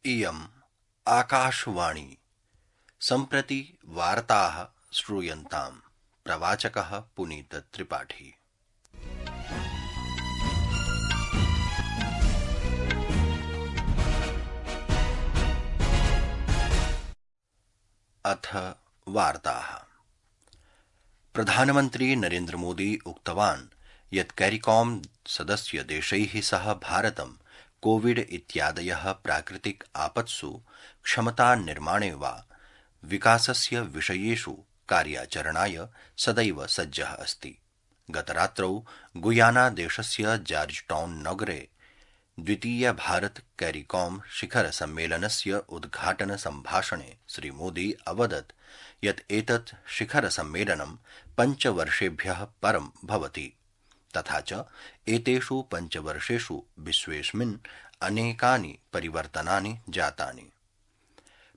इयम् आकाशवाणी सम्प्रति वार्ताः श्रूयन्ताम्। प्रवाचकः पुनीत त्रिपाठी। अथ वार्ताः। प्रधानमन्त्री नरेन्द्र मोदी उक्तवान् यत् कैरिकॉम सदस्य देशैः सह भारतं कोविड इत्यादयः प्राकृतिक आपत्सु क्षमतानिर्माणे वा विकासस्य विषयेषु कार्याचरणाय सदैव सज्जः अस्ति। गतरात्रौ गुयाना देशस्य जॉर्जटाउन नगरे द्वितीय भारत कैरिकॉम शिखर सम्मेलनस्य उद्घाटन सम्भाषणे श्रीमोदी अवदत् यत् एतत् शिखर सम्मेलनं 5 वर्षेभ्यः परं भवति, तथा च एतेषु 5 वर्षेषु विश्वेऽस्मिन् अनेकानि परिवर्तनानि जातानि।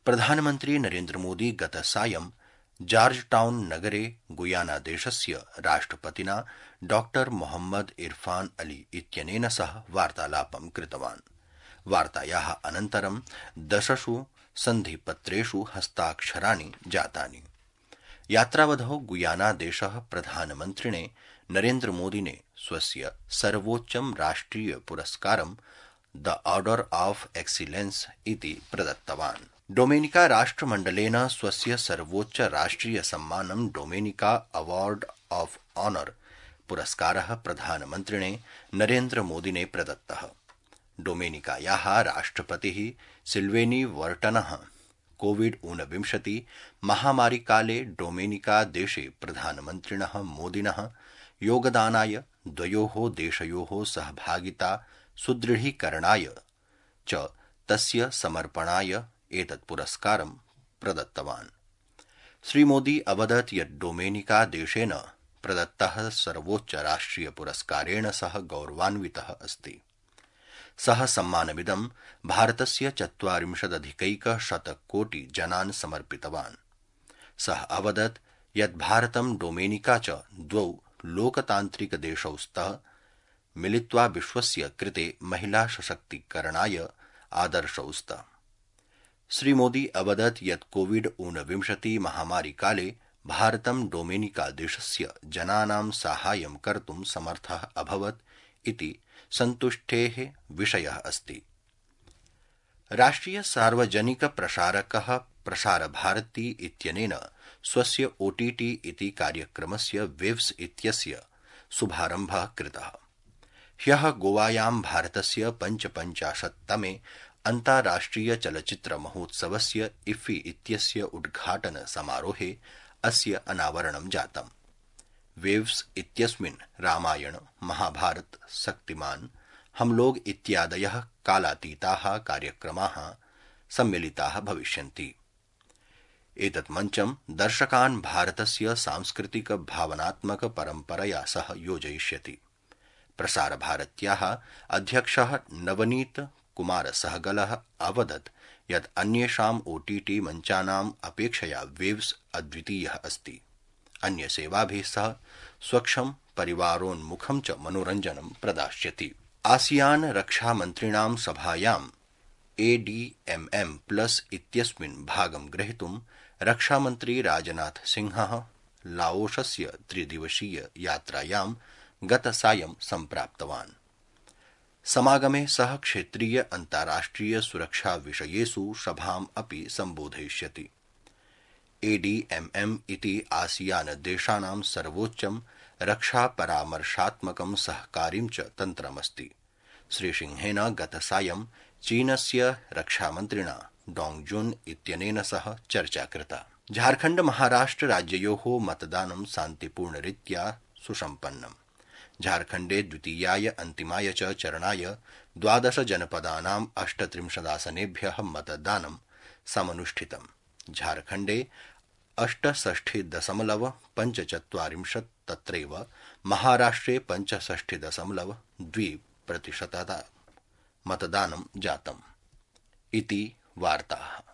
प्रधानमन्त्री नरेन्द्र मोदी गतसायं जॉर्जटाउन नगरे गुयाना देशस्य राष्ट्रपतिना डॉ मोहम्मद इरफान अली इत्यनेन सह वार्तालापं कृतवान्। वार्तायाः अनन्तरं 10 सन्धिपत्रेषु हस्ताक्षराणि जातानि। यात्रावधौ गुयाना देशः प्रधानमन्त्रिणे नरेन्द्र मोदिने स्वस्य सर्वोच्चं राष्ट्रिय पुरस्कारं द ऑर्डर ऑफ एक्सीलेंस इति प्रदत्तवान्। डोमेनिका राष्ट्रमण्डलेन स्वस्य सर्वोच्च राष्ट्रिय सम्मानं डोमेनिका अवार्ड ऑफ ऑनर पुरस्कारः प्रधानमन्त्रिणे नरेन्द्र मोदिने प्रदत्तः। डोमेनिकायाः राष्ट्रपतिः सिल्वेनी वर्टनः कोविड-19 महामारीकाले डोमेनिका देशे प्रधानमन्त्रिणः मोदिनः योगदानाय द्वयोः देशयोः सहभागिता सुदृढीकरणाय च तस्य समर्पणाय एतत् पुरस्कारं प्रदत्तवान्। श्रीमोदी अवदत् यत् डोमेनिका देशेन प्रदत्तः सर्वोच्च राष्ट्रिय पुरस्कारेण सह गौरवान्वितः अस्ति। सः सम्मानमिदं भारतस्य 40 कोटि जनान् समर्पितवान्। सः अवदत् यत् भारतं डोमेनिका च द्वौ लोकतान्त्रिकदेशौ स्तः मिलित्वा विश्वस्य कृते महिला सशक्तीकरणाय आदर्शौ स्तः। श्रीमोदी अवदत् यत् कोविड-19 महामारीकाले भारतं डोमेनिका देशस्य जनानां साहाय्यं कर्तुं समर्थः अभवत् इति सन्तुष्टेः विषयः अस्ति। राष्ट्रिय सार्वजनिक प्रसारकः प्रसारभारती इत्यनेन स्वस्य ओटीटी इति कार्यक्रमस्य वेव्स इत्यस्य शुभारम्भः कृतः। ह्यः गोवायां भारतस्य 55तमे अन्ताराष्ट्रिय चलच्चित्र महोत्सवस्य इफ्फी इत्यस्य उद्घाटन समारोहे अस्य अनावरणं जातम्। वेव्स इत्यस्मिन् रामायण, महाभारत, शक्तिमान, हम लोग इत्यादयः कालातीताः कार्यक्रमाः सम्मिलिताः भविष्यन्ति। एतत् मञ्चं दर्शकान् भारतस्य सांस्कृतिक भावनात्मक परम्परया सह योजयिष्यति। प्रसारभारत्याः अध्यक्षः नवनीत कुमार सहगलः अवदत् यत् अन्येषाम् ओटीटी मञ्चानाम् अपेक्षया वेव्स अद्वितीयः अस्ति। अन्यसेवाभिः सह स्वच्छं परिवारोन्मुखं च मनोरञ्जनं प्रदास्यति। आसियान रक्षामन्त्रिणां सभायाम् ADMM+ इत्यस्मिन् भागं ग्रहीतुं रक्षामन्त्री राजनाथ सिंहः लाओसस्य 3-दिवसीय यात्रायां गतसायं सम्प्राप्तवान्। समागमे सः क्षेत्रीय अन्ताराष्ट्रिय सुरक्षा विषयेषु सभाम् अपि सम्बोधयिष्यति। ADMM इति आसियान देशानां सर्वोच्चं रक्षापरामर्शात्मकं सहकारीं च तन्त्रमस्ति। श्रीसिंहेन गतसायं चीनस्य रक्षामन्त्रिणा डोंग जुन इत्यनेन सह चर्चा कृता। झारखण्ड महाराष्ट्र राज्ययोः मतदानं शान्तिपूर्णरीत्या सुसम्पन्नम्। झारखण्डे द्वितीयाय अन्तिमाय च चरणाय 12 जनपदानां 38 आसनेभ्यः मतदानं समनुष्ठितम्। झारखण्डे 68.45%, तत्रैव महाराष्ट्रे 65.2% मतदानं जातम्। इति वार्ताः।